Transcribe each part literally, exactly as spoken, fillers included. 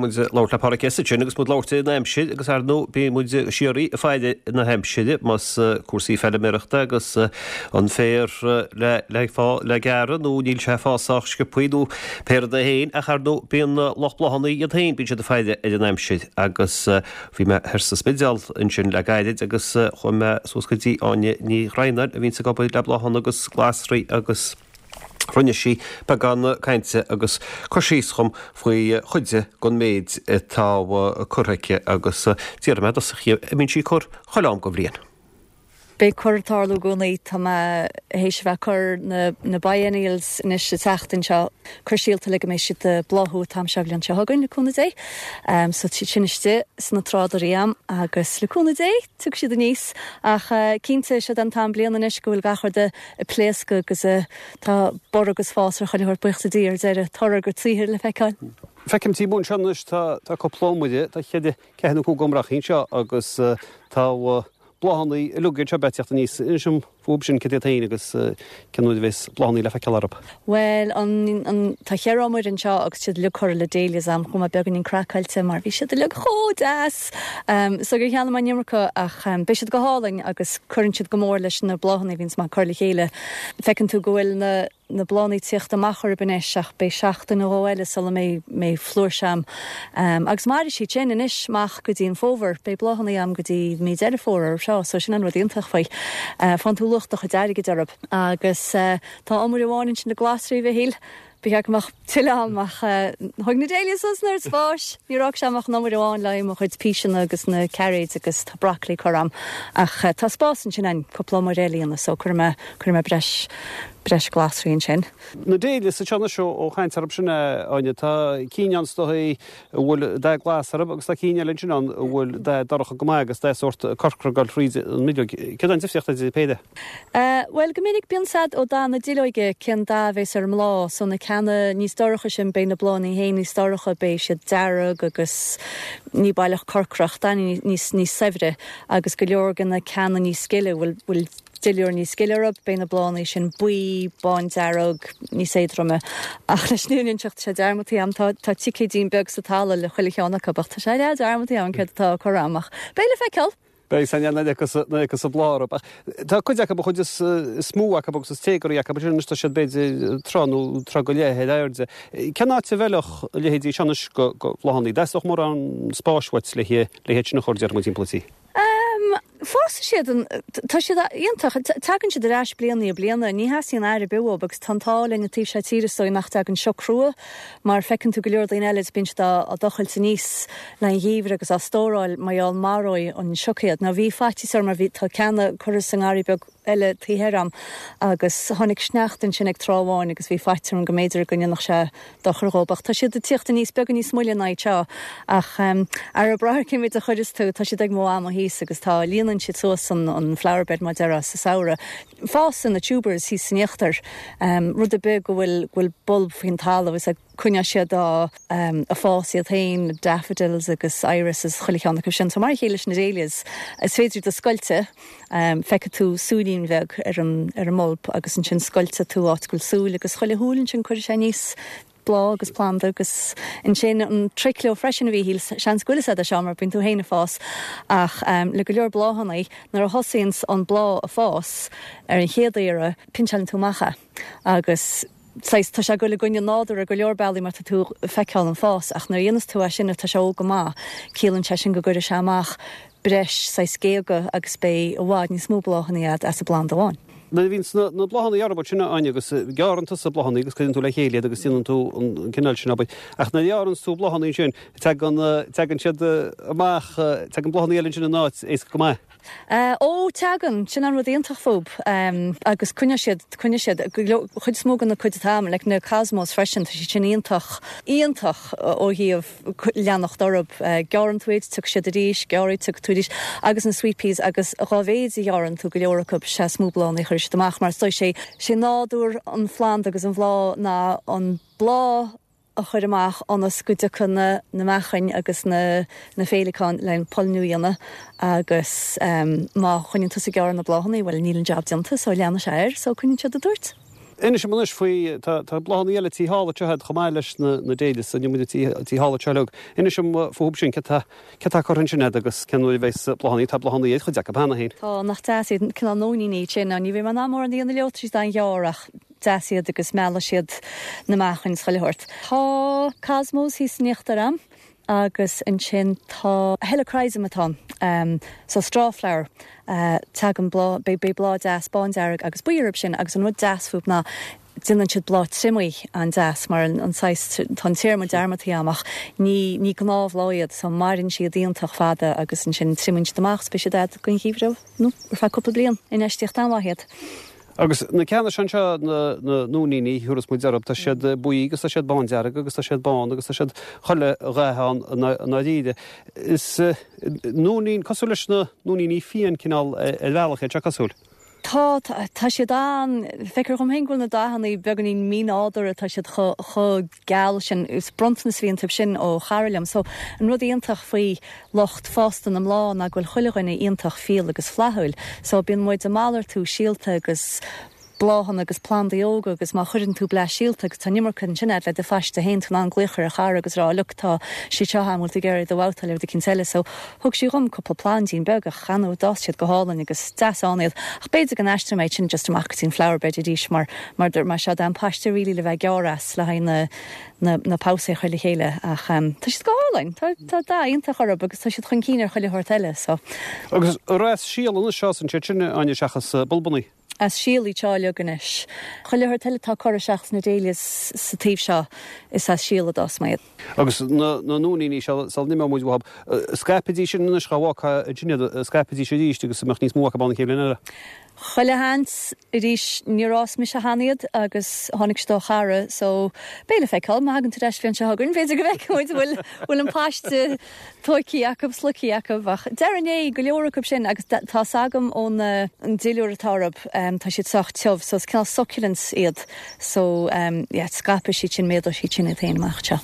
Muid ag labhairt le Páraic Essid sin agus muid ag labhairt ar an aimsir agus ar ndóigh bíonn muid síoraí ag faire na haimsire más cúrsaí feilméarachta agus an féar le le le gearradh nó níl sé ag fás sách sciobthaí nó pé rud é féin ach ar ndóigh bíonn lucht bláthanna iad féin bíonn siad ag faire ar an aimsir agus bhí mé thoir sa Spidéal ansin le gairid agus chuaigh mé suas go dtí Áine Ní Dhroighneáin a bhíonns ag obair le bláthanna agus glasraí agus Rinne sí beagán cainte agus cur síos dhom faoi chuid den méid atá curtha aici agus d'iarr mé i dtosach uirthi an mbíonn sí ag cur chuile am den bhliain. Beidh cur ag tarlú i gcónaí. Tá mé théis a bheith ag cur na na biennials anois sa tseachtain seo, cur síolta le go mbeidh siad ag bláthú an t-am seo bhliain seo chugainn, le cúnamh Dé. Um, so tá siad sin istigh sna trádairí a'm agus le cúnamh Dé tiocfaidh siad aníos. Ach uh, cinnte seo an t-am bliana anois go bhfuil gach rud ag pléascadh agus uh, tá borradh agus fás ar chuile shórt buíochas le Dia ar deireadh toradh a gcuid saothair le feiceáil. Feicim timpeall anseo anois tá tá cúpla iomaire, tá cheithre ceathair nó cúig iomrachaí anseo agus uh, tá uh, bláthanna uilig anseo ag teacht aníos. Inis dom fúthu sin cad iad féin agus cén uair a bheas bláthanna le feiceáil orthu. Well, an, an, tá cheithre iomaire anseo agus siad uilig curtha le dahlias a'm chuaigh mé beagáinín craiceáilte mar bhí siad uilig chomh deas. Um, so gur cheannaigh mé an iomarca ach um, beidh siad go hálainn agus cuireann siad go mór leis na bláthanna a bhíonns mé ag cur le chéile. Feiceann tú go bhfuil na na bláthanna ag tíocht amach orthu anois ach beidh seachtain nó dhó eile sula mbeidh mbeidh flúirse a'm. Um, agus mairfidh siad sin anois amach go dtí an fómhar, beidh bláthanna a'm go dtí mí Deireadh Fómhair orthu seo, so sin an rud iontach faoi. Uh, faigheann tú luach do chuid airgid orthu. Agus uh, tá iomaire amháin ansin le glasraí a Mhichíl. Ba cheart go mbeadh tuilleadh a'm ach uh, thóg na dahlias suas an oiread spáis. Níor fhág sé ach an iomaire amháin le mo chuid píseanna agus na cairéid agus tá broccoli curtha a'm. Ach uh, tá spás ansin ann cúpla iomaire eile iontu, so cuirfidh mé cuirfidh mé breis breis glasraí ansin. Na dahlias anseo anois ó chaint orthu sin Áine tá cinn ann is dóigh a bhfuil dath glas orthu agus tá cinn eile ansin ann a bhfuil dath dorcha go maith agus dath sórt corcra ag dul thríd an mbileog. Céard an difríocht idir péire? Uh, well go minic bíonn siad ó dath na duilleoige cén dath a bheas ar an mbláth, so na ceanna níos dorcha sin beidh na bláthanna féin níos dorcha beidh siad dearg agus ní baileach corcrach dath níos níos saibhre agus go leor de na ceanna níos gile bhfuil bhfuil duilliúr níos gile orthu, beidh na bláthanna sin buí, bándearg, níos éadroime. Ach leis an fhírinne a inseacht sé dearmadta a'm tá tá ticéidín beag sa talamh le chuile cheann acu, ach tá sé leath dearmadta a'm céard atá curtha a'm ach beidh le feiceáil. Beidh san na agus a blár. Tá cuid acu chuid is is mó acu agus is téagarthaí acu sin tá siad b'fhéidir troigh nó troigh go leith ar airde. Cén áit a bhfeilfeadh a leithéidí seo anois go go bláthanna? Theastódh mórán spáis uait le le hiad sin a chur déarfaidh muid timpeall an tí. Um, Fásann siad an tá siad iontach tagann siad ar ais bliain i bliana, ní theastaíonn aire ar bith uathu agus tá an t-ádh linn an taobh seo tíre is dóigh nach dtagann sioc crua mar feiceann tú go leor daoine eile bíonn siad á dtochailt aníos le an gheimhreadh agus á stóráil mar gheall maróidh an sioc iad. Now bhí faitíos orm mar bhí tá ceanna curtha sa ngarraí beag eile taobh thoir a'm agus tháinig sneachta ansin ag tráth amháin agus bhí faitíos orm go mb'fhéidir go ndéanfadh sé dochar dhóibh ach tá siad ag tíocht aníos beagán níos moille ná iad seo ach um, ar a brath cén méid a chuireas tú tá siad ag mo ama thíos agus tá líonann siad suas an, an flower bed mar déarfá sa samhradh. Fásann na tubers thíos san íochtar um, rud ar bith go bhfuil bhfuil bulb faoin talamh is coinneoidh siad á um, a fás iad féin daffodils agus irises chuile cheann acu sin. So mar a chéile leis na dahlias is féidir do scoilte um, feicfidh tú súilín bheag ar an ar an mbulb agus ansin scoilte tú áit go bhfuil súil agus chuile shúil ansin cuirfidh sé aníos bláth agus planda agus ansin an trick leo freisin a Mhíchíl seans go bhfuil a fhios agat seo mar bíonn tú féin ag fás ach um, le go leor bláthanna nuair a thosaíonn an bláth a fás ar an chéad iarraidh pinseálann tú amach é agus Sais tá sé go le gunne nádur a go leor bealaí mar tá tú ag feiceáil an fás ach nuair a dhéanas tú é sin tá sé óg go maith ciallaíonn sé sin go gcuirfidh sé amach breis sais géaga agus beidh i bhfad níos mó bláthanna agat as an bplanda amháin. Nuair a bhíonn na bláthanna orthu sin Áine agus gearrann tusa bláthanna agus cuireann tú le chéile iad agus déanann tú an cineál sin abair. Ach nuair a ghearrann tú bláthanna sin tagann tagann siad amach tagann bláthanna eile sin in áit éasca go maith. Uh, ó tagann sin an rud iontach fúthu um, agus coinneoidh siad coinneoidh siad chuid is mó den na cuid atá le na cosmos freisin tá siad sin iontach iontach ó thaobh leanacht orthu uh, gearrann tú iad tiocfaidh siad arís gearr iad tiocfaidh tú arís agus na sweet peas agus dá mhéid a ghearrann tú go leor acu is ea is mó bláthanna a chuirfidh siad amach mar is sé sé nádúr an phlanda agus an bhláth ná an bláth a chur amach ionas go dtiocfaidh na na meachain agus na na féileacáin le pailniú a dhéanamh agus um, má choinníonn tusa ag gearradh na bláthanna, well níl an jab déanta so leanfaidh sé air so coinníonn siad ag tabhairt. Inis dom anois faoi, tá tá bláthanna eile tí thall anseo agat chomh maith leis na na dahlias, inniu muid tí tí thall anseo uilig. Inis dom fúthu sin, cé tá cé tá curtha ansin agat agus cén uair a bheas bláthanna, tá bláthanna ar chuid acu cheana féin. Tá, nach deas iad, cineál nóiníní iad sin, ní bheidh mé in ann mórán a dhéanamh leo, tá siad an-ghearr ach deas iad agus meallfaidh siad na meachain is chuile shórt. Tá cosmos thíos in íochtar a'm agus ansin tá helichrysum atá ann, so strawflower, tagann bláth, beidh beidh bláth deas bándearg agus buí orthu sin agus an rud deas fúthu ná déanann siad bláth triomaigh an-deas mar an an saghas, tá an téarma dearmadta agam ach ní ní gnáthbhláth iad so maireann siad iontach fada agus ansin triomaíonn siad amach is beidh siad a'd don gheimhreadh nó ar feadh cúpla bliain, infheistíocht an-mhaith iad. Agus na ceanna seo anseo, na na nóiníní, thabharfas muid orthu, tá siad buí agus tá siad bándearg agus tá siad bán agus tá siad chuile dhath ann i ndáiríre. Is nóinín, cosúil leis na nóiníní fiáin cineál ar bhealach iad seo cosúil. Tá, tá siad an, feictear dhom féin go bhfuil na dathanna beagáinín mínádúrtha, tá siad chomh chomh geal sin, is bronntanas a bhí iontu sin ó chara liom. So an rud iontach faoi lucht fásta na mbláth ná go bhfuil chuile dhuine iontach fial agus flaithiúil. So bíonn muid ag malartú síolta agus bláthanna agus plandaí óga agus má chuireann tú bleaist síolta agus tá an iomarca ansin agat le do phaiste féin, tú in ann glaoch ar a chara agus rá look tá siad seo a'm, bhfuil tú ag iarraidh iad a bhabhtáil ar rud eicínt eile. So thug sí dhom cúpla plandín beag ach ar ndóigh d'fhás siad go hálainn agus deas ann iad. Ach b'fhéidir go n-aistreoidh mé iad sin just amach go dtí an flower bed arís mar mar mar seo am paiste really le bheith ag gearradh as le haghaidh na na na pabhsaeir a chur le chéile ach tá siad go hálainn, tá tá dath iontach orthu agus tá siad chun cinn ar chuile shórt eile so. Agus as síol anois a fhásann siad sin, Áine, seachas bulbannaí? As síol iad seo uilig anois. Chuile shórt eile atá curtha seachas na dahlias sa taobh seo is as síol a d'fhás mé iad. Agus na na nóiníní seo sula n-imeoidh muid uathu, scaipfidís sin anois dhá bhfágfá ansin iad, scaipfidís arís agus mbeadh níos mó acu ann an chéad bhliain eile. Chuile sheans arís níor fhás mise cheana iad agus tháinig siad ó chara so beidh le feiceáil má thagann tú ar ais bliain seo chugainn b'fhéidir go bhfeicfidh muid bhfuil bhfuil an paiste tóigthe acu slogtha acu ach déarfainn é go leor acu sin agus tá's agam ón an duilliúr atá orthu tá siad sách tiubh so is cineál succulents iad so yeah scaipfidh siad sin méadóidh siad sin iad féin amach anseo.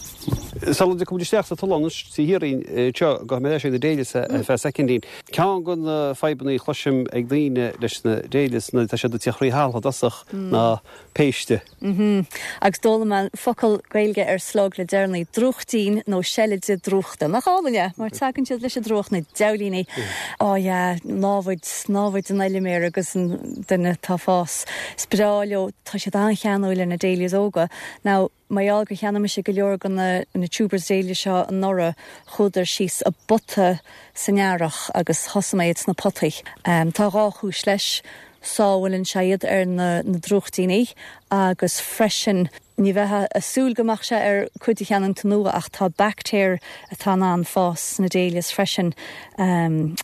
Sula dtiocfaidh muid isteach sa tollán anois trí thiar anseo gabhfaidh mé ar ais ag na dahlias ar feadh soicindín. Ceann de na fadhbanna a chloisim ag daoine leis na dahlias nuair atá siad ag tíocht thrí thalamh i dtosach ná péiste. Mhm. Agus d'fhoghlaim mé focal Gaeilge ar slug le deireanaí, drúchtín nó seilide drúchta. Nach álainn é? Mar tagann siad leis an drúcht, na diabhlaíní. Ó yeah, námhaid, námhaid an fheilméara agus an duine atá ag fás. Is breá leo, tá siad an-cheanúil ar na dahlias óga. Now, mar gheall gur cheannaigh mise go leor de na na tubers dahlia seo anuraidh, chuadar síos i bpota san earrach agus thosaigh mé iad sna potaí. Tá dhá chúis leis, sábhálann sé iad ar na na drúchtíní agus freisin ní bheifeá ag súil go mbeadh sé ar cuid a cheannaíonn tú nua ach tá baictéir atá in ann fás sna dahlias freisin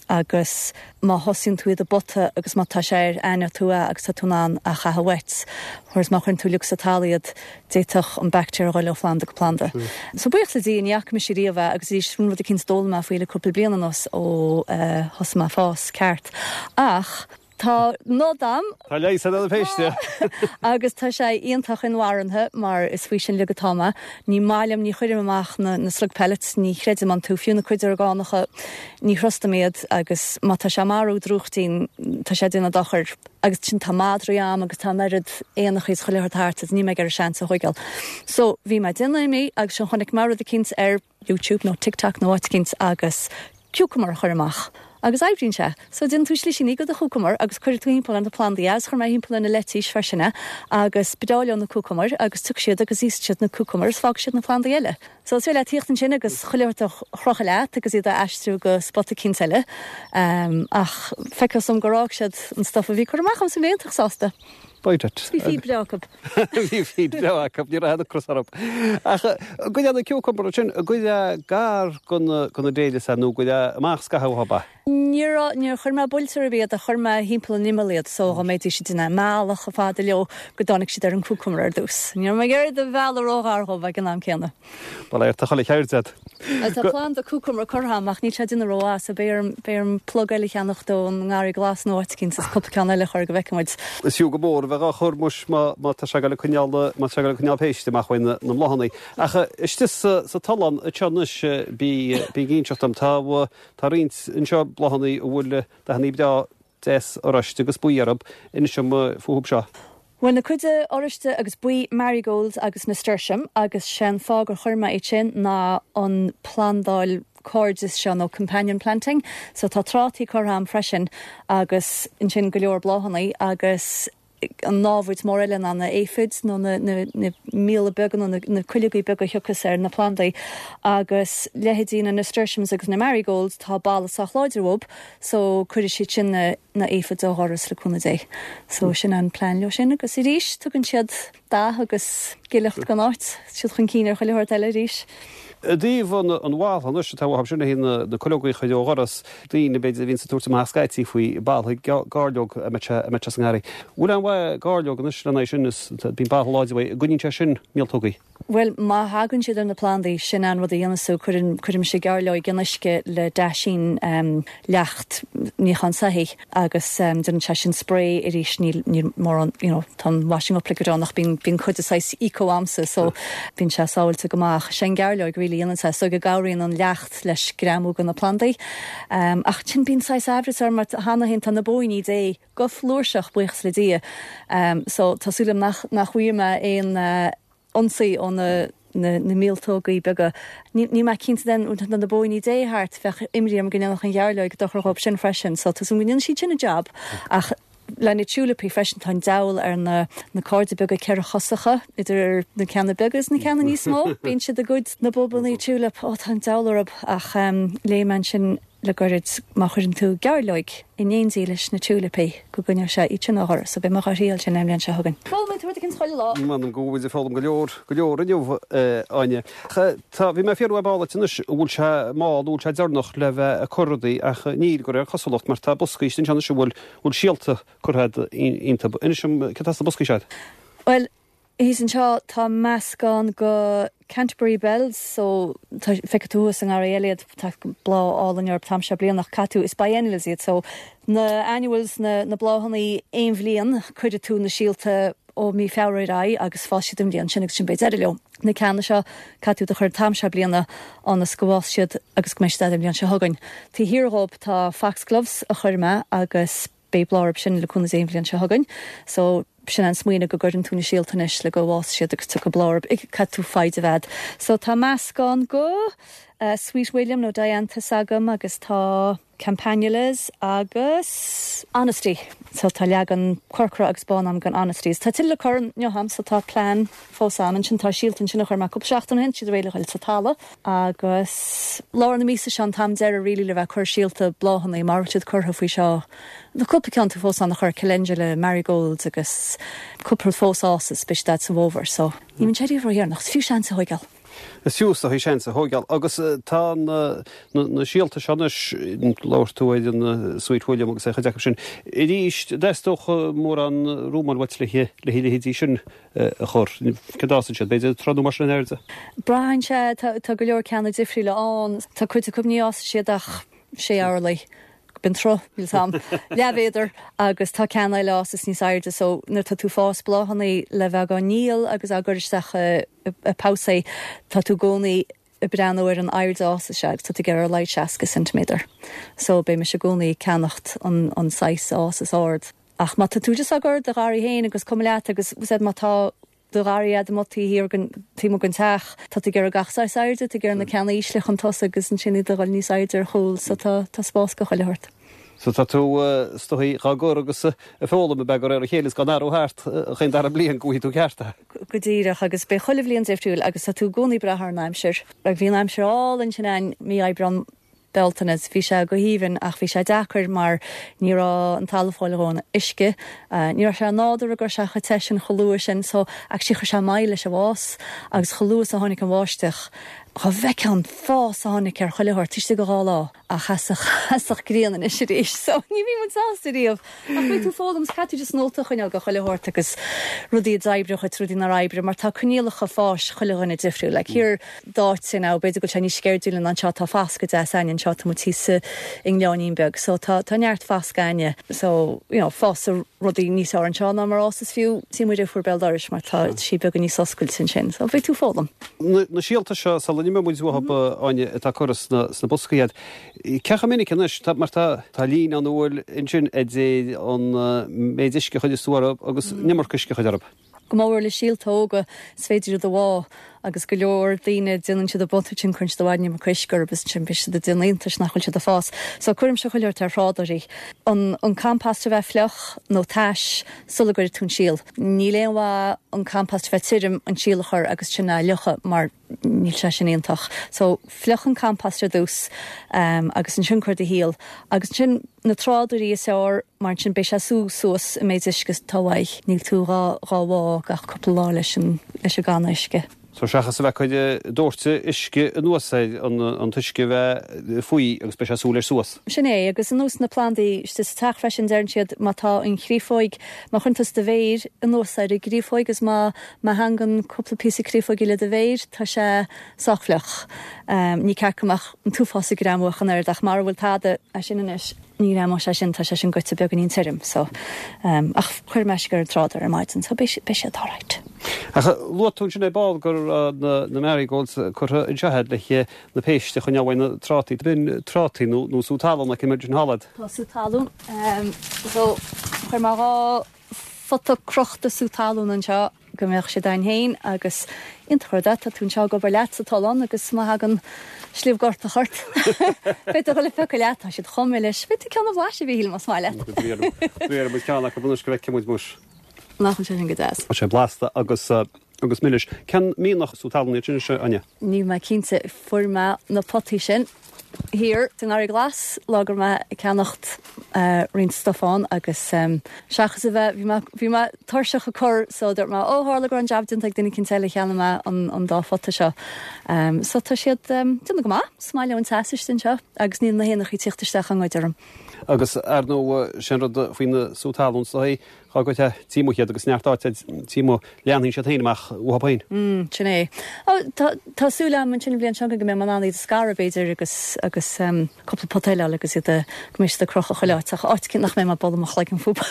agus má thosaíonn tú iad i bpota agus má tá sé air aithneoidh tú é agus tá tú in ann a chaitheamh uait whereas má chuireann tú uilig sa talamh iad d'fhéadfadh an baictéar a dhul ó phlanda go planda. So buíochas le Dia ní fhaca mise riamh é agus arís sin rud eicínt a d'fhoghlaim mé faoi le cúpla bliain anuas ó thosaigh mé ag fás ceart. Ach tá nod a'm. Tá leigheas ar na péiste. Agus tá sé iontach inmharthana mar is faoi sin uilig atá mé. Ní maith liom, ní chuirim amach na na slug pellets, ní chreidim iontu, fiú na cuid orgánacha, ní thrustaim iad agus má tá sé ag marú drúchtín, tá sé ag déanamh dochair. Agus sin tá madraí a'm agus tá an oiread éanacha is chuile shórt thart agus níl mé ag iarraidh seans a thógáil. So bhí mé ag déanamh imní agus sin chonaic mé rud eicínt ar YouTube nó TikTok nó áit eicínt agus cucumber a chur amach. Agus oibríonn sé. So déanann tú slisíní de do chúcumar agus cuireann tú thimpeall ar na plandaí é agus chuir mé thimpeall ar na leitís freisin é agus ba bhreá leo na cúcamair agus tiocfaidh siad agus íosfaidh siad na cúcamair is fágfaidh siad na plandaí eile. So is féidir leat tíocht ansin agus chuile shórt a chrochadh leat agus iad a aistriú go spota eicínt eile. Ach feictear dom gur fhág siad an stuff a bhí curtha amach agam so bhí mé iontach sásta. B'fhéidir. Bhí feed breá acu. Bhí feed breá acu, ní raibh aon ocras orthu. Ach goidé na cucumber sin, goidé gar do na dahlias nó goidé amach scaitheamh uathu ba? Níor níor chuir mé buailte ar bith iad ach chuir mé thimpeall an imeall iad so dá mbeidís ag déanamh a mbealach chomh fada leo go dtáinig siad ar an cucumber ar dtús. Ní raibh mé ag iarraidh iad a mhealladh róghar dhóibh ag an am céanna. Bail ó Dhia ar chuile cheird agat. Tá planda cucumber curtha agam ach níl sé ag déanamh rómhaith so beidh orm beidh orm plug eile a cheannach ón ngarraí glas nó áit eicínt is cúpla ceann eile a chur go bhfeicfidh muid. Is fiú go mór a bheith á chur muis má má tá sé ag dul ag coinneáil má tá sé ag dul ag coinneáil péiste amach uaidh na na mbláthanna. Ach istigh sa sa tollán anseo anois bí bí ag inseacht dom tá tá roinnt anseo bláthanna a bhfuil dathanna breá deas oráiste agus buí orthu. Inis dom fúthu seo. Bhuel na cuide oráiste agus buí marigolds agus nasturtium agus sin fáth gur chuir mé é sin ná an plandáil cairdis seo nó companion planting, so tá trátaí curtha a'm freisin agus ansin go leor bláthanna agus an námhaid mór eile ná na aphids nó na, na, na míola beaga nó na, na cuileogaí beaga thiocfas ar na plandaí agus leithéidí na nasturtiums agus na marigolds tá bail sách láidir uathu, so cuirfidh siad sin na, na aphids ó dhoras le cúnamh Dé. So sin an plean leo sin agus arís tugann siad dath agus gileacht don áit, siad chun cinn ar chuile shórt eile arís. I dtaobh an an bhall anois atá sin na na cuileogaí a chur ó dhoras daoine b'fhéidir a bhíonn ag tabhairt amach scaití faoi bhall gairleog a mbeadh sa ngarraí. Bhfuil an mhaith gairleog anois lena sin is bíonn ball láidir gcoinníonn sé sin míoltógaí. Well má thagann siad ar na plandaí sin an rud a dhéanann tú cuireann cuirim sé gairleog in uisce le daisín um, leacht níochán soithí agus um, déanann sé sin spray arís níl níl mórán you know, tá washing up liquid ann ach bíonn bíonn cuid de saghas eco a'msa so bíonn sé sábháilte go maith sin gairleog really dhéanann sé so go gcabhraíonn an leacht leis greamú go na plandaí. Um, ach sin bíonn saghas aimhreas orm mar cheana féin tá na bóíní Dé go flúirseach buíochas le Dia. Um, so tá súil agam nach nach bhfuil mé aon uh, ionsaí ó na na, na míoltógaí beaga. Ní, ní mé cinnte den na na bóíní Dé thart bheadh imní orm go ndéanfadh an ghearrleog dochar dhóibh sin freisin, so tá go ndéanann siad sin a job ach le na tulipí freisin tá an diabhal ar na na cairde beaga ceithrechosacha idir na ceanna beaga is na ceanna níos mó, bíonn siad ag goid na bulbannaí tulip ó tá an diabhal orthu ach um, léigh mé sin le goirid má chuireann tú gairleog in éindí leis na tulipí go gcoinneoidh sé iad sin ó dhoras, so beidh mé á thriail sin an bhliain seo chugainn. Foghlaim tú cinn chuile lá. Man go bhfuil foghlaim go leor go leor inniu Áine. Tá bhí mé fiú bála anois bhfuil sé má bhfuil sé deireanach le bheith ag cur rudaí ach níl go réir cosúlacht mar tá boscaí sin se bhfuil bhfuil síolta curtha iontu. Inis dom cad as na boscaí seo. Well, Thíos anseo tá meascán go Canterbury Bells so feicfidh tú an ngarraí eile tá bláth álainn ar an am seo bliana caú is biennials iad so na annuals na, na bláthanna aon bhliain cuirfidh tú na síolta ó mí Feabhra ar aghaidh agus fásfaidh siad an bhliain sin agus sin beidh deireadh leo. Na ceanna seo caithfidh tú a chur an t-am seo bliana ionas go bhfásfaidh siad agus go mbeidh siad an bhliain seo chugainn. Taobh thiar dhóibh tá foxgloves a chuir mé agus beidh bláth orthu sin le cúnamh Dé an bhliain seo chugainn. So sin an smaoineamh go gcuireann tú na síolta anois le go bhfásfaidh siad agus tú go bláth caithfidh tú foighid a bheith. So tá meascán go uh, Sweet William nó Dianthus agam agus tá Campanulas agus Honesty. So tá leagan corcra agus bán agam den Honesties. Tá tuilleadh curtha agam so tá plean fós ann sin tá síolta sin a chuir mé cúpla seachtain ó shin siad réidh le dhul sa talamh agus lár na míosa seo an t-am deireadh really le bheith cur síolta bláthanna mar siad curtha faoi seo. Na cúpla ceann tú fós an a chur calendula marigolds agus cúpla fós ás beidh siad sa bhfómhar, so ní min sé nach fiú seans a thógáil. Is fiú a seans a thógáil agus tá na na síolta seo labhair tú ar an Sweet William agus é chuid sin. Arís deastóch mór an rúmáil le le leithéidí sin a chur Cad siad b'fhéidir troth mar sin airde. Braitheann sé tá go leor ceanna difriúla ann tá cuid acu ní fhásfaidh siad ach sé orlaí. Bíonn troth níl sam leathmhéadar agus tá ceann eile is níos airde so nuair tá tú ag fás bláthanna le bheith á ndíol agus á gcur isteach i pósaí tá tú i gcónaí ag breathnú ar an airde a fhásfaidh sé agus tá tú ag iarraidh ar a laghad seasca centiméadar. So beidh mise i gcónaí ag ceannacht an, an saghas a fhásas ard. Ach má tá tú just á gcur i do gharraí féin agus cuma leat agus said má tá do gharraí agat amuigh thiar taobh amuigh den teach tá tú ag iarraidh gach saghas airde tú ag iarraidh na ceanna ísle chun tosaigh agus ansin iad a dhul níos airde ar chúl so tá tá spás go chuile shórt. So tá tú stoí dhá gur agus a fólam a be ar a chéile gan arú thart chaon dara bliain go tú cearta. Go díreach agus beidh chuile bhliain difriúil agus tá tú i gcónaí ag brath ar an aimsir. Ag bhí an aimsir álainn sin an mí Aibreán Bealtaine bhí sé go haoibhinn ach bhí sé deacair mar ní raibh an talamh ag fáil a dhóthain uisce. Uh, ní raibh sé nádúrtha go raibh sé chomh te sin chomh luath sin so ach sí chuir sé moill leis an bhfás agus chomh luath a tháinig an bháisteach. Cha bhfeiceá an fás a tháinig ar chuile shórt istigh go dhá lá ach sheasfadh grian anois arís so ní bhí muid sásta riamh. Ach beidh tú ag foghlaim caithfidh tú just nóta a choinneáil go chuile shórt agus rudaí a d'oibrigh duit rudaí nár oibrigh mar tá coinníollacha fáis chuile dhuine difriúil le thiar d'áit sin ná b'fhéidir go bhfuil sé níos sceirdiúla ná anseo tá foscadh deas againn anseo tá muid thíos i ngleannín beag so tá tá neart foscadh againne so you know fásfaidh rudaí níos fearr anseo ná mar a fhásas fiú tí muid fuair béal dorais mar tá sí beagán níos oscailte ansin so beidh tú ag foghlaim. Na síolta seo sa sula n-imeoidh muid uathu, Áine, atá curtha sna sna boscaí agat. Cé chomh minic anois, tá, mar tá, tá líne an bhfuil ansin idir an méid uisce a chuireas tú orthu agus an iomarca uisce a chur orthu. Go mór le síolta óga, is féidir iad a bhá agus go leor daoine déanann siad an botún sin, cuireann siad i bhfad an iomarca uisce orthu agus ansin bíonn siad ag déanamh iontais nach bhfuil siad ag fás. So cuirimse chuile shórt ar thrádóirí. An an compost a bheith fliuch nó tais sula gcuirfidh tú an síol. Níl aon mhaith an compost a bheith tirim, an síol a chur agus sin a fhliuchadh mar níl sé sin iontach. So fliuch an compost ar dtús agus ansin cuir do shíol agus ansin na trádóirí is fearr mar ansin beidh sé ag sú suas an méid uisce atá uaidh. Níl tú dhá dhá bhá gach cúpla lá leis an leis an gcanna uisce. So seachas a bheith ag cur doirteadh uisce anuas air an an t-uisce a bheith faoi agus beidh sé ag sú leis suas. Sin é, agus ar nós na plandaí istigh sa teach freisin deireann siad má tá an chréafóig, má chuireann tusa do mhéir anuas ar an gcréafóig agus má má thangann cúpla píosa créafóige le do mhéir tá sé sách fliuch. Ní ceart go mbeadh an t-uafás ag greamú ach an oiread ach mara bhfuil tada é sin anois ní ghreamóidh sé sin, tá sé sin goite beagáinín tirim so ach chuir mé uisce ar an trádóir ar maidin so beidh beidh siad alright. Ach luaigh tú ansin ar ball go raibh na na marigolds curtha anseo agat le na péist a choinneáil uaidh na trátaí. B'in trátaí nó nó sú talún like imagine thall. Tá sú talún so chuir mé dhá phota crochta sú talún anseo go mbeadh siad ann féin agus iontach rud é, tá tú anseo ag obair leat sa tollán agus má thagann sliabh gortach ort beidh tú ag dul a phiocadh leat, tá siad chomh milis, beidh tú ceann a bhlaiseadh a Mhíchíl más maith leat. Bhéarfaidh muid ceann acu anois go bhfeicfidh muid muis. Nach bhfuil sé sin go deas? Tá sé blasta agus agus milis. Cén mianach sú talún iad sin anois, Áine? Níl mé cinnte, fuair mé na potaí sin thiar sa nGarraí Glas lá go raibh mé ag ceannacht roinnt stuif ann agus seachas a bheith, bhí mé, bhí mé tuirseach ag cur so dúirt mé ó tharla go raibh an jab déanta ag duine eicínt eile cheannaigh mé an, an dá phota seo. So tá siad déanamh go maith, is maith leo an teas istigh anseo agus níl na héanachaí ag tíocht isteach á ngoid orm. Agus ar ndóigh sin rud faoi na sú talún is dóigh, Dhá gcuirfeá taobh amuigh iad agus neart áite taobh amuigh, leanfaidh siad féin amach uathu féin. Mm, sin é. Ó, tá, tá súil agam ansin an bhliain seo chugainn go mbeidh mé in ann iad a scaradh, b'fhéidir, agus, agus um, cúpla pota eile a fháil agus iad a, go mbeidh siad ag crochadh chuile áit, ach áit nach mbeidh mé ag bualadh mo chloigeann fúthu.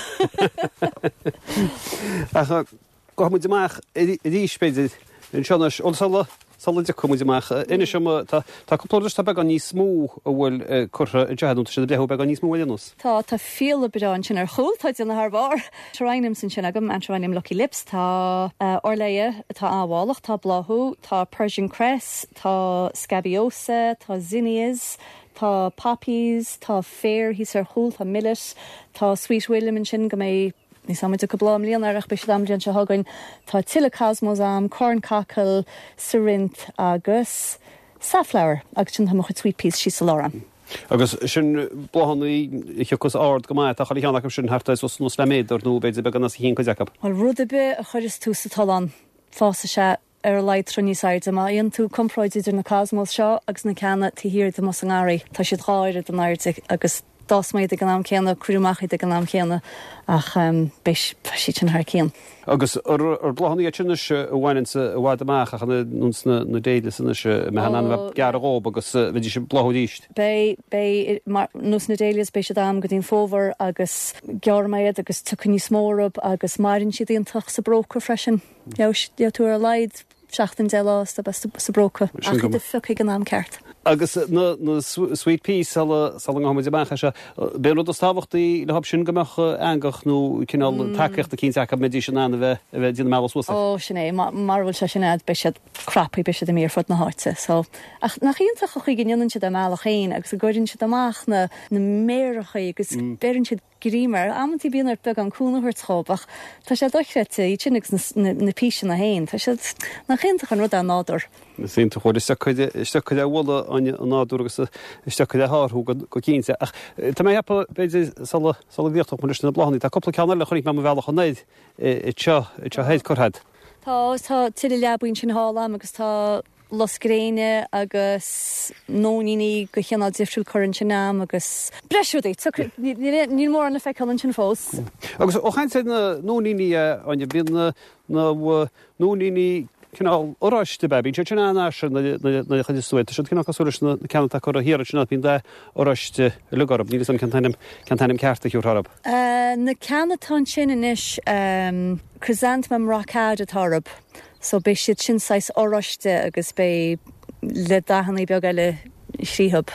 Ach gabhfaidh muid amach arís, b'fhéidir, anseo anois. Ó, sula, sula dtiocfaidh muid amach, inis dom, tá, tá cúpla rud atá beagán níos mó a bhfuil curtha anseo agat, nó tá siad ag breithiú beagán níos mó ar aon nós. Tá, tá fiala breá ansin ar chúl, tá déanamh thar barr. Geraniums ansin agam, Antirrhinum Lucky Lips, tá Orlaya atá an-mhálach, tá bláthú, tá Persian Cress, tá Scabiosa, tá Zinnias, tá Poppies, tá féar thíos ar chúl, tá Millet, tá Sweet William ansin go mbeidh Níl 's a'm an dtiocfaidh bláth i mbliana air ach beidh siad a'm an bhliain seo chugainn. Tá tuilleadh cosmos a'm, corncockle, cerinthe agus safflower agus sin tá mo chuid sweet peas síos sa lár a'm. Agus sin bláthanna a thiocfas ard go maith, tá chuile cheann acu sin thart ar suas suas le méadar nó b'fhéidir beagán os a chionn cuid acu. Bhuel rud ar bith a chuireas tú sa tollán fásfaidh sé ar a laghad troigh níos airde. Má dhéanann tú comparáid idir na cosmos seo agus na ceanna taobh thiar díom sa ngarraí, tá siad dhá oiread in airde agus d'fhás mé iad ag an am céanna, cuireadh amach iad ag an am chéanna ach beidh siad sin thar cionn. Agus ar bláthanna iad sin anois a bhaineanns i bhfad amach ach nós na na dahlias anois a mbeadh in ann a bheith gearrtha dhób agus bheidís ag bláthú arís. Beidh, beidh, mar nós na dahlias beidh siad a'm go dtí an fómhar agus gearrfaidh mé iad agus tiocfaidh níos mó orthu agus maireann siad iontach sa bpróca freisin. Gheobhaidh tú ar a laghad seachtain deich lá sa bpróca ach iad a phiocadh ag an am ceart. Agus na na sweet peas sula sula ngabhfaidh muid amach as seo, b'é an rud is tábhachtaí leo sin go mbeadh eangach nó cineál tacaíocht eicínt acu go mbeidís in ann a bheith a bheith ag déanamh a mbealach suas air. Ó, sin é. Mara bhfuil sé sin a'd beidh siad craptha, beidh siad imithe ar fud na háite. So, ach nach iontach an chaoi go ndéanann siad a mbealach féin agus go gcuireann siad amach na na méaracha agus beireann siad greim air. Amantaí bíonn ort beagán cúnamh a thabhairt dhób ach tá sé dochreidte, iad sin agus na píseanna féin. Tá siad, nach iontach an rud é an nádúr. Is iontach, bhuel is deacair, is deacair a bhualadh an nádúr agus is deacair a shárú go cinnte. Ach tá mé ag ceapadh, b'fhéidir, sula, sula gcríochnódh muid leis na bláthanna, tá cúpla ceann eile a chonaic mé mo bhealach anoir anseo, anseo thoir curtha agat. Tá, tá tuilleadh leabaí ansin thall a'm agus tá lus gréine agus nóiníní de chineál difriúil curtha ansin a'm agus breis rudaí. Níl mórán le feiceáil ansin fós. Agus ó chaint ar na nóiníní, a Áine, bíonn na nóiníní cineál oráiste ab ea? Bíonn siad sin an-fhairsing nuair a chuireas tú iad. Tá siad cineál cosúil leis na ceanna atá curtha thiar ansin, bíonn dath oráiste uilig orthu. Níl 'fhios a'm cén t-ainm, cén t-ainm ceart a thiúrfá orthu. Na ceanna atá ansin anois, Chrysanthemum Rockade atá orthu. So beidh siad sin saghas oráiste agus beidh le dathanna beaga eile thríothub.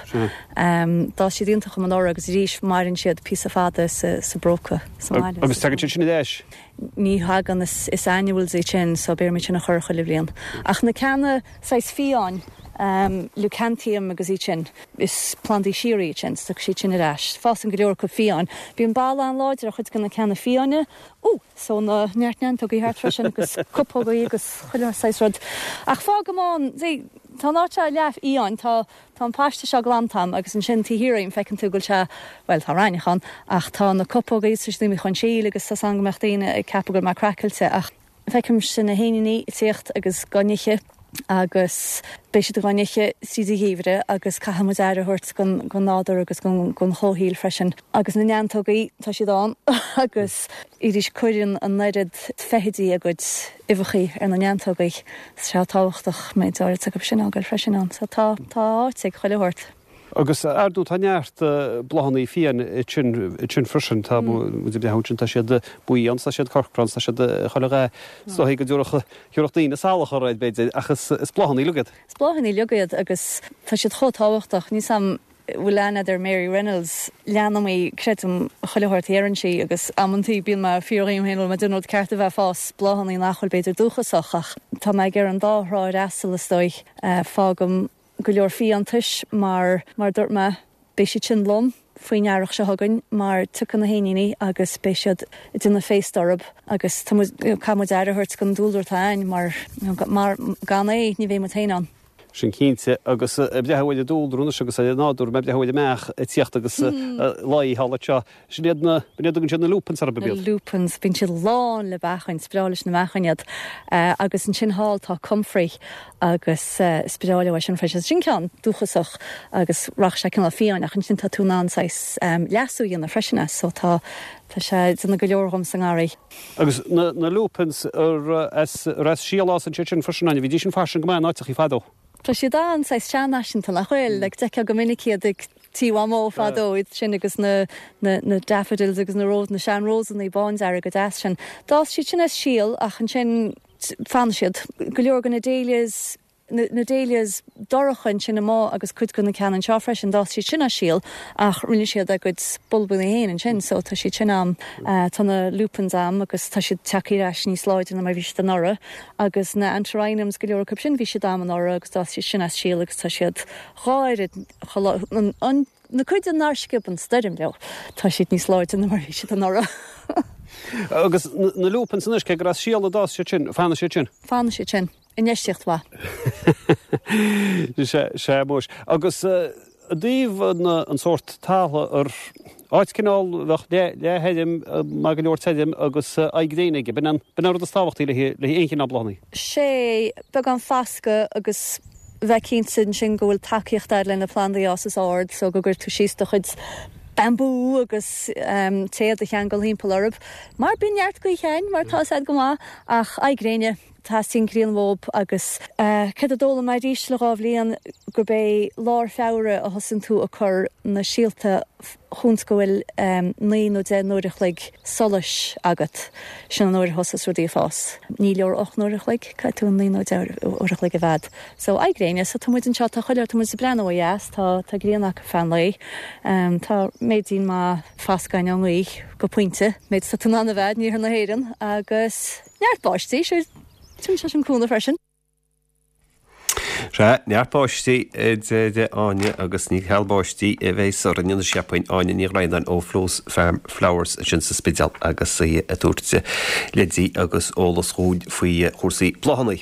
D'fhás siad iontach dom anuraidh agus arís maireann siad píosa fada sa sa bpróca sa mbaile. Agus tagann siad sin ar ais? Ní thagann, is is annuals iad sin so beidh orm iad sin a chur chuile bhliain. Ach na ceanna saghas fiáin, Leucanthemum agus iad sin, is plandaí síoraí iad sin, so tagann siad sin ar ais. Fásann go leor acu fiáin. Bíonn bail an-láidir ar chuid de na ceanna fiáine, ó, so na neart neantógaí thart freisin agus cupógaí agus chuile saghas rud. Ach fágaim ann, see, tá an áit seo leath fhiáin, tá tá an paiste seo glanta a'm agus ansin taobh thiar dhíom feiceann tú go bhfuil sé, bhuel tá raithneach ann ach tá na cupógaí is tá siad imithe chun síl agus tá 's a'm go mbeadh daoine ag ceapadh go bhfuil mé craiceáilte ach feicimse na héiníní ag tíocht agus dhá n-ithe agus beidh siad dhá n-ithe tríd an gheimhreadh agus caithfidh muid aire a thabhairt don nádúr agus don chomhshaol freisin. Agus na neantógaí, tá siad ann agus arís cuireann an oiread feithidí a gcuid uibheachaí ar na neantógaí. Tá sé tábhachtach méid áirid acu sin a fhágáil freisin ann. So tá tá áit ag chuile shórt. Agus ar ndóigh tá neart bláthanna fiáin ansin freisin, tá muid ag breathnú ansin, tá siad buí ann, tá siad corcra ann, tá siad chuile dhath, is dóigh go dtabharfadh thiúrfadh daoine salach orthu b'fhéidir, ach is bláthanna uilig iad. Is bláthanna uilig iad agus tá siad chomh tábhachtach. Níl 's a'm an bhfuil aithne a'd ar Mary Reynolds, leanaim í, creidim chuile shórt a dheireann sí agus amantaí bíonn mé ag fiafraí dhíom féin bhfuil mé ag déanamh an rud ceart a bheith ag fás bláthanna nach bhfuil b'fhéidir dúchasach ach tá mé ag ar an dá thrá ar asal is dóigh. Fágaim go leor fiántais mar, mar a dúirt mé, beidh siad sin lom faoin earrach seo chugainn mar tiocfaidh na héiníní agus beidh siad ag déanamh féasta orthu agus tá muid, caithfidh muid aire a thabhairt don dúlra atá a'ainn mar, mar gan é ní bheidh muid féin ann. Sin cinnte agus ag breathnú ar an dúlra anois agus ar an nádúr, mé ag breathnú ar an mbeach ag tíocht agus luí thall anseo. Sin iad na, b'in iad a dtugann siad na lupins orthu, ab iad? Na lupins, bíonn siad lán le beachain, is breá leis na beachain iad. Agus ansin thall tá comfrey agus is breá leo é sin freisin. Sin ceann dúchasach agus rachaidh sé cineál fiáin ach ansin tá tú in ann saghas leasú a dhéanamh freisin as so tá tá sé ag déanamh go leor dhom sa ngarraí. Agus na na lupins ar as ar as síol a fhásann siad sin freisin, Áine, bhídís sin fairsing go maith in áiteachaí fadó. Tá siad an-saghas seanfhaiseanta nach bhfuil? Like d'fheicfeá go minic iad ag tí Mhamó fadó, iad sin agus na na na daffodils agus na rós na sean-rósanna bándearga deas sin. D'fhás siad sin as síol ach ansin Fanann siad. Go leor de na dahlias, na dahlias dorcha ansin amuigh agus cuid de na ceanna anseo freisin, d'fhás siad sin as síol ach rinne siad a gcuid bulbanna féin ansin so tá siad sin a'm. Tá na lupins a'm agus tá siad tagtha ar ais níos láidre ná mar a bhí siad anuraidh agus na antirrhinums go leor acu sin bhí siad a'm anuraidh agus d'fhás siad sin as síol agus tá siad dhá oiread chomh, an, Na cuid nár sciob an stoirm leo, tá siad níos láidre ná mar a bhí siad anuraidh. Agus na lupins anois, cé gur as síol a d'fhás siad sin, fanfaidh siad sin? Fanfaidh siad sin. Infheistíocht mhaith. Sea, sea, muis. Agus i dtaobh an sórt talamh ar áit cineál bheadh leath-thirim, maith go leor tirim agus aghaidh gréine aige, b'in an rud is tábhachtaí le haghaidh aon chineál bláthanna. Sea, beagán fascadh agus bheith cinnte ansin go bhfuil tacaíocht a'd le na plandaí a fhásas ard so go gcuir tú síos do chuid bambú agus téad a cheangal thimpeall orthu mar bíonn neart gaoithe ann mar tá 'fhios a'd go maith ach aghaidh gréine, teastaíonn grian uathub agus céard a d'fhoghlaim mé arís le dhá bhliain gurb é lár Feabhra a thosaíonn tú ag cur na síolta chúns go bhfuil naoi nó deich n-uair a chloig solais agat, sin an uair a thosas rudaí ag fás. Ní leor ocht n-uair a chloig, caithfidh tú naoi nó deich uair a chloig a bheith a'd. So, aghaidh gréine, so tá muid anseo, tá chuile, tá muid ag breathnú ó dheas, tá, tá grian acu feadh an lae, tá méidín maith fascadh a'inn ón ngaoth go pointe, méid is atá tú in ann a bheith in iarthar na hÉireann agus neart báistí, sure, tugann sé sin cúnamh freisin. Sea, neart báistí, a deir Áine, agus ní ceal báistí a bheas orainn anois, cheapfainn, Áine Ní Dhroighneáin ó Flo's Farm Flowers ansin sa Spidéal agus í ag tabhairt leidí agus eolas dhúinn faoi chúrsaí bláthanna.